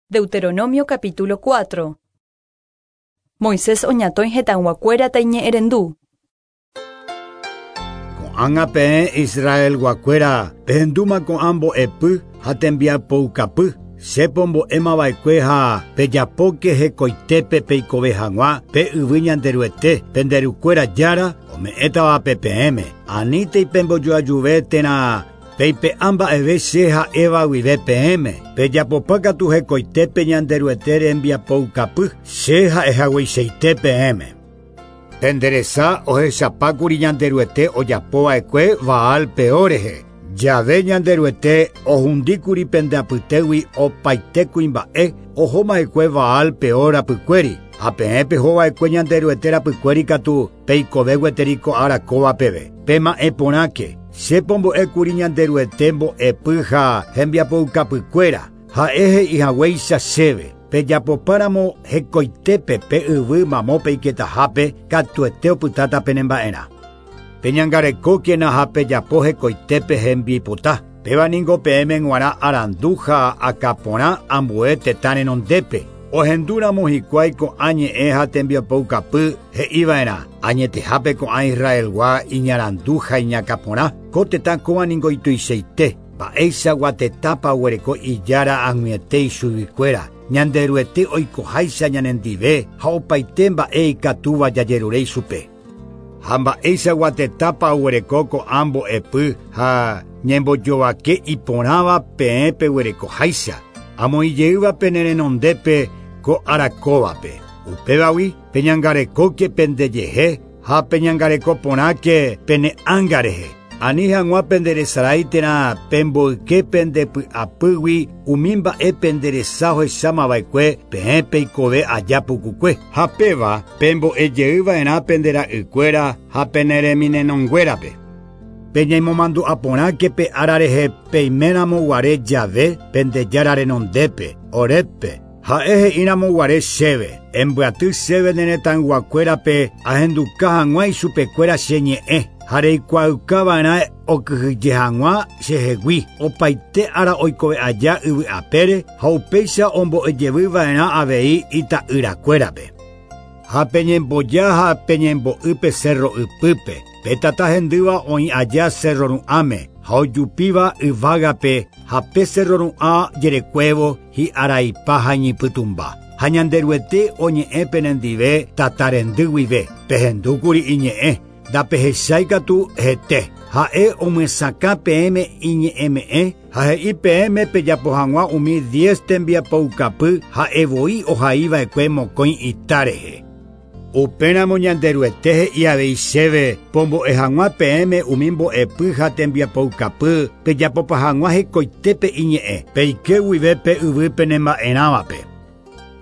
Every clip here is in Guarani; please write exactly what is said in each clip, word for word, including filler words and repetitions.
Deuteronomio capítulo cuatro. Moisés oñatõi hetãyguakuéra taiñe'ẽrendu. Ko'ág̃a peẽ Israelguakuéra pehendúma ko'ã mbo'epy ha tembiapoukapy che pombo'émava'ekue ha pejapóke hekoitépe peikove hag̃ua pe yvy Ñanderuete penderukuéra jára ome'ẽtavape peẽme anítei pembojoajuve térã peipe'a mba'eve che ha'éva guive peẽme pejapopákatu hekoitépe Ñanderuete rembiapoukapy che ha'ehagueichaite peẽme. Penderesa ohechapákuri Ñanderuete ojapova'ekue Baal Peor rehe. Jave Ñanderuete ohundíkuri pendeapytégui opaite kuimba'e ohomava'ekue Baal Peor rapykuéri ha peẽ pehova'ekue Ñanderuete rapykuéri katu peikove gueteri ko ára kóva peve. Pema'ẽporãke che pombo'ékuri Ñanderuete mbo'epy ha hembiapoukapykuéra ha'e he'ihaguéicha chéve. Pejapopáramo hekoitépe pe yvy mamo peiketahápe katuete opytáta penemba'erã. Peñangarekókena ha pejapo hekoitépe hembipota. Péva ningo peẽme g̃uarã arandu ha akãporã ambue tetã renondépe. Ohendúramo hikuái ko'ã ñe'ẽ ha tembiapoukapy he'iva'erã. Añetehápe ko'ã Israelgua iñarandu ha iñakãporã. Ko tetã kóva ningo ituichaite. Mba'éichagua tetãpa oguereko ijára ag̃uiete ichuguikuéra. Ñanderuete oikoháicha ñanendive ha opaite mba'e ikatúva jajerure ichupe. Ha mba'éichagua tetãpa oguereko ko'ã mbo'epy ha ñembojovake iporãva peẽ peguerekoháicha. Amoĩjeýva pene renondépe ko ára kóvape. Upévagui peñangarekóke pendejehe ha peñangarekoporãke pene ánga rehe. Ani hag̃ua penderesarái térã pemboyke pendepy'apýgui umi mba'e penderesa ohechamava'ekue peẽ peikove aja pukukue. Ha péva pembo'ejeýva'erã pendera'ykuéra ha penereminenonguérape. Peñemomandu'aporãke pe ára rehe peiméramo guare jave pendejára renondépe, Horébpe. Ha'e he'íramo guare chéve, embyaty chéve ne retãyguakuérape ahenduka hag̃ua ichupekuéra che ñe'ẽ. Ha reikuaaukava'erã okyhyje hag̃ua chehegui opaite ára oikove aja yvy'apére ha upéicha ombo'ejevyva'erã avei ita'yrakuérape. Ha peñemboja ha peñembo'y pe cerro ypýpe. Pe tata hendýva oĩ aja cerro ru'ãme ha ojupíva yvágape ha pe cerro ru'ã jerekuévo hi'araipa ha iñipytũmba. Ha Ñanderuete oñe'ẽ penendive tata rendy guive. Pehendúkuri iñe'ẽ. Ndapehecháikatu hete. Ha'e omyesakã peẽme iñe'ẽme'ẽ ha he'i peẽme pejapo hag̃ua umi diez tembiapoukapy ha'evoi ohaiva'ekue mokõi ita rehe. Upéramo Ñanderuete he'i avei chéve pombo'e hag̃ua peẽme umi mbo'epy ha tembiapoukapy pejapopa hag̃ua hekoitépe iñe'ẽ peike guive pe yvy penemba'erãvape.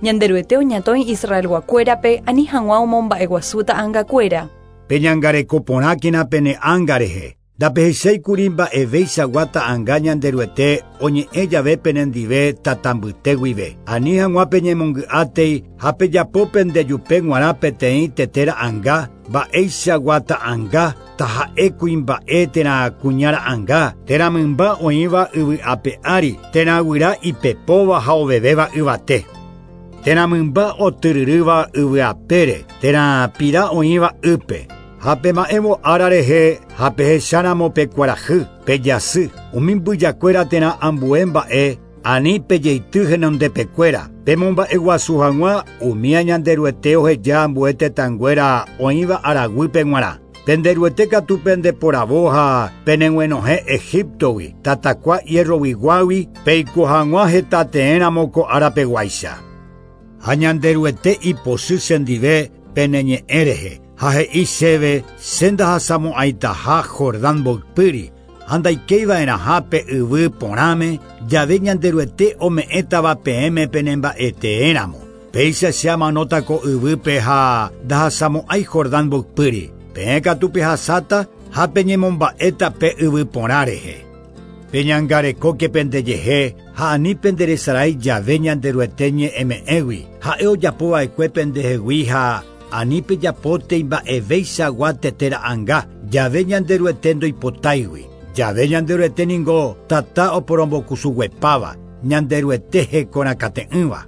Ñanderuete oñatõi Israelguakuérape ani hag̃ua omomba'eguasu ta'ãngakuéra. Peñangarekoporãkena pene ánga rehe. Ndapehecháikuri mba'evéichagua ta'ãnga Ñanderuete oñe'ẽ jave penendive tatambyte guive. Ani hag̃ua peñemongy'átei ha pejapo pendejupe g̃uarã peteĩ tete ra'ãnga mba'éichagua ta'ãnga taha'e kuimba'e térã kuña ra'ãnga térã mymba oĩva yvy'ape ári térã guyra ipepóva ha ovevéva yvate. Térã mymba otyryrýva yvy'apére térã pira oĩva ýpe. Ha pema'ẽvo ára rehe ha pehecháramo pe kuarahy, pejasy, umi mbyjakuéra térã ambue mba'e ani pejeity henondepekuéra. Pemomba'eguasu hag̃ua umi Ñanderuete oheja ambue tetãnguéra oĩva araguýpe g̃uarã. Penderuete katu pendeporavo ha peneguenohẽ Egiptogui, tatakua hierroguiguágui peiko hag̃ua hetateéramo ko árapeguáicha. Ha Ñanderuete ipochy chendive peneñe'ẽ rehe. Ha he'i chéve che ndahasamo'ãitaha Jordán mboypýri ha ndaikeiva'erãha pe yvy porãme jave Ñanderuete ome'ẽtava peẽme penemba'eteéramo. Péicha che amanóta ko yvýpe ha ndahasamo'ãi Jordán mboypýri. Peẽ katu pehasáta ha peñemomba'éta pe yvy porã rehe. Peñangarekóke pendejehe ha ani penderesarái jave Ñanderuete ñe'ẽme'ẽgui. Ha'e ojapova'ekue pendehegui ha ani pejapóte mba'evéichagua tete ra'ãnga jave Ñanderuete ndoipotáigui. Jave Ñanderuete ningo tata oporombokusuguepáva. Ñanderuete hekorakate'ỹva.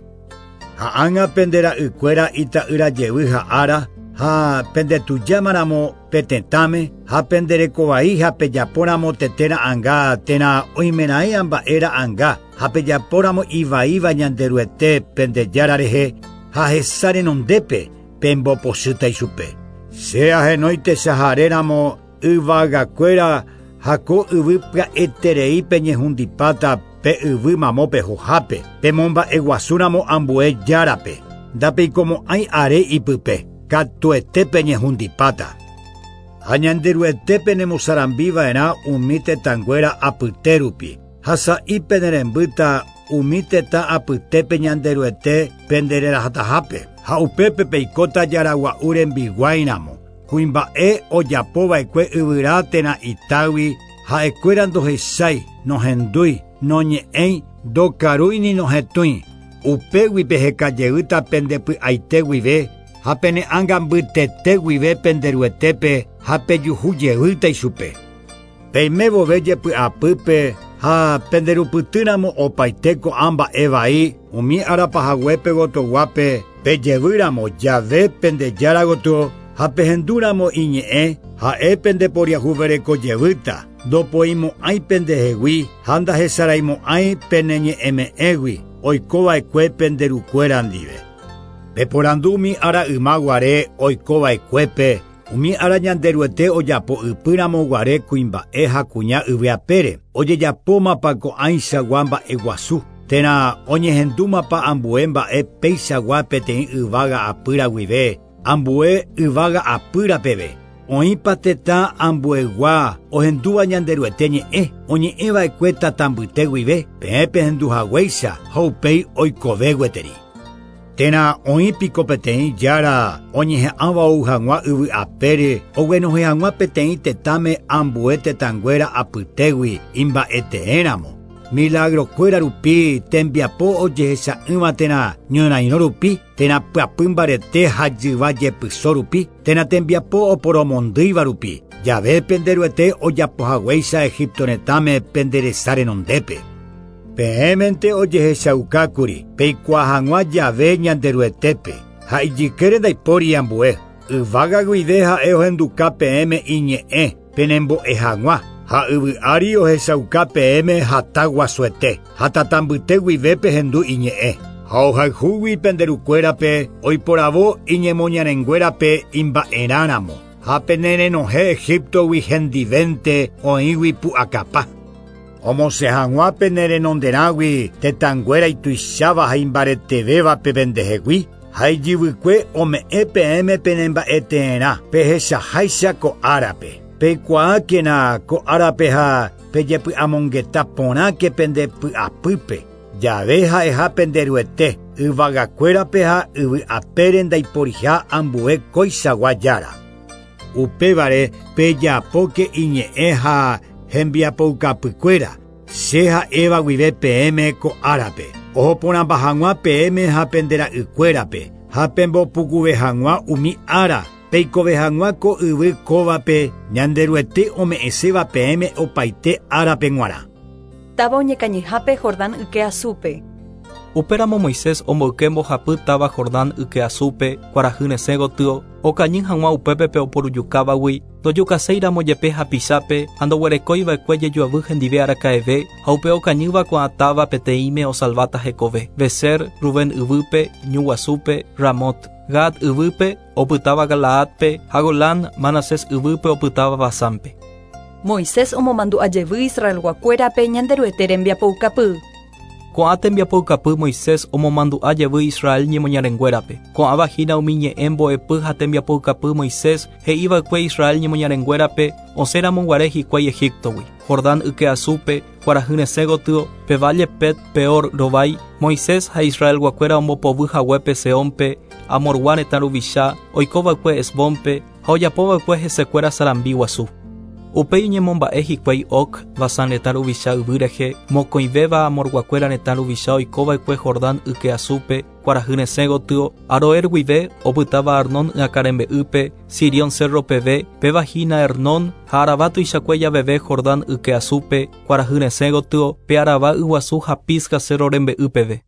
Ha ág̃a pende ra'ykuéra ita'ýra jevy ha'ára ha pendetujámaramo pe tetãme ha penderekovai ha pejapóramo tete ra'ãnga térã oimeraẽ mba'e ra'ãnga ha pejapóramo ivaíva Ñanderuete pende Jára rehe ha hesa renondépe pembopochýta ichupe. Che ahenói techaharéramo yvagakuéra ha ko yvy pya'eterei peñehundipáta pe yvy mamo pehohápe pemomba'eguasúramo ambue járape ndapeikomo'ãi are ipype katuete peñehundipáta. Ha Ñanderuete penemosarambiva'erã umi tetãnguéra apyte rupi ha sa'i penerembýta umi tetã apytépe Ñanderuete pendererahatahápe ha upépe peikóta jaragua'u rembiguáiramo kuimba'e ojapova'ekue yvyra térã itágui ha'ekuéra ndohechái nohendúi noñe'ẽi ndokarúi ni nohetũi upégui pehekajeýta pendepy'aite guive ha pene ánga mbytete guive penderuetépe ha pejuhujeýta ichupe. Peime vove jepy'apýpe ha penderupytýramo opaite ko'ã mba'e vai umi arapahaguépe gotoguápe pejevýramo jave pende Jára gotyo ha pehendúramo iñe'ẽ ha'e pendeporiahuverekojevýta ndopoimo'ãi pendehegui ha ndahesaraimo'ãi peneñe'ẽme'ẽgui oikova'ekue penderukuéra ndive. Peporandu umi ára ymaguare oikova'ekuépe umi ára Ñanderuete ojapo ypýramo guare kuimba'e ha kuña yvyapére ojejapómapa ko'ãichagua mba'eguasu térã oñehendúmapa ambue mba'e péichagua peteĩ yvága apýra guive ambue yvága apýra peve. Oĩpa tetã ambuegua ohendúva Ñanderuete ñe'ẽ oñe'ẽva'ekue tata mbyte guive peẽ pehenduhaguéicha ha upéi oikove gueteri. Térã oĩpiko peteĩ jára oñeha'ãva ou hag̃ua yvy apére oguenohẽ hag̃ua peteĩ tetãme ambue tetãnguéra apytégui imba'eteéramo. Milagrokuéra rupi tembiapo ojehecha'ỹva térã ñorairõ rupi térã pyapy mbarete ha jyva jepyso rupi térã tembiapo oporomondýiva rupi jave penderuete ojapohaguéicha Egipto retãme penderesa renondépe. Peẽmente ojehechaukákuri peikuaa hag̃ua jave Ñanderuetépe ha ijykére ndaipóri ambue yvága guive ha'e ohenduka peẽme iñe'ẽ penembo'e hag̃ua ha yvy ári ohechauka peẽme hata guasuete ha tata mbyte guive pehendu iñe'ẽ ha ohayhúgui penderukuérape oiporavo iñemoñarenguérape imba'erãramo ha penerenohẽ Egiptogui hendivénte oĩgui pu'akapa. Omosẽ hag̃ua penerenonderãgui tetãnguéra ituicháva ha imbaretevévape pendehegui ha ijyvykue ome'ẽ peẽme penemba'eteerã pehechaháicha ko árape. Peikuaákena ko árape ha pejepy'amongeta porãke pendepy'apýpe jave ha'eha penderuete yvagakuérape ha yvy apére ndaiporiha ambue koichagua jára. Upévare pejapóke iñe'ẽ ha hembiapoukapykuéra che ha'éva guive peẽme ko árape ohoporãmba hag̃ua peẽme ha pendera'ykuérape ha pembopukuve hag̃ua umi ára peikove hag̃ua ko yvy kóvape Ñanderuete ome'ẽséva peẽme opaite árape g̃uarã. Táva oñekañyhápe Jordán yke asúpe. Upéramo Moisés omboyke mbohapy táva Jordán yke asúpe kuarahy resẽ gotyo okañy hag̃ua upépe pe oporujukávagui ndojukaséiramo jepe hapichápe ha ndoguerekóiva'ekue jejoavy hendive araka'eve ha upe okañýva ko'ã táva peteĩme osalváta hekove. Beser, Rubén yvýpe, ñu guasúpe, Ramot, Gad yvýpe opytáva Galaadpe ha Golán, Manasés yvýpe opytáva Basánpe. Moisés omomandu'ajevy Israelguakuérape Ñanderuete rembiapoukapy. Ko'ã tembiapoukapy Moisés omomandu'a jevy Israel ñemoñarenguérape. Ko'ãva hína umi ñe'ẽ mbo'epy ha tembiapoukapy Moisés he'iva'ekue Israel ñemoñarenguérape osẽramo guare hikuái Egiptogui. Jordán yke asúpe, kuarahy resẽ gotyo, pe valle Pet Peor rovái, Moisés ha Israelguakuéra ombopovy haguépe Seónpe, Amorgua retã ruvicha, oikova'ekue Hesbónpe ha ojapova'ekue hesekuéra sarambi guasu. Upéi oñemomba'e hikuái Og, Basán retã ruvicha yvy rehe, mokõivéva Amorguakuéra retã ruvicha oikova'ekue Jordán yke asúpe, kuarahy resẽ gotyo, Aroer guive, opytáva Arnón ykarembe'ýpe, Sirión cerro peve, péva hína Hernón, ha Arabá tuichakue javeve Jordán yke asúpe, kuarahy resẽ gotyo, pe Arabá yguasu ha Pisga cerro rembe'y peve.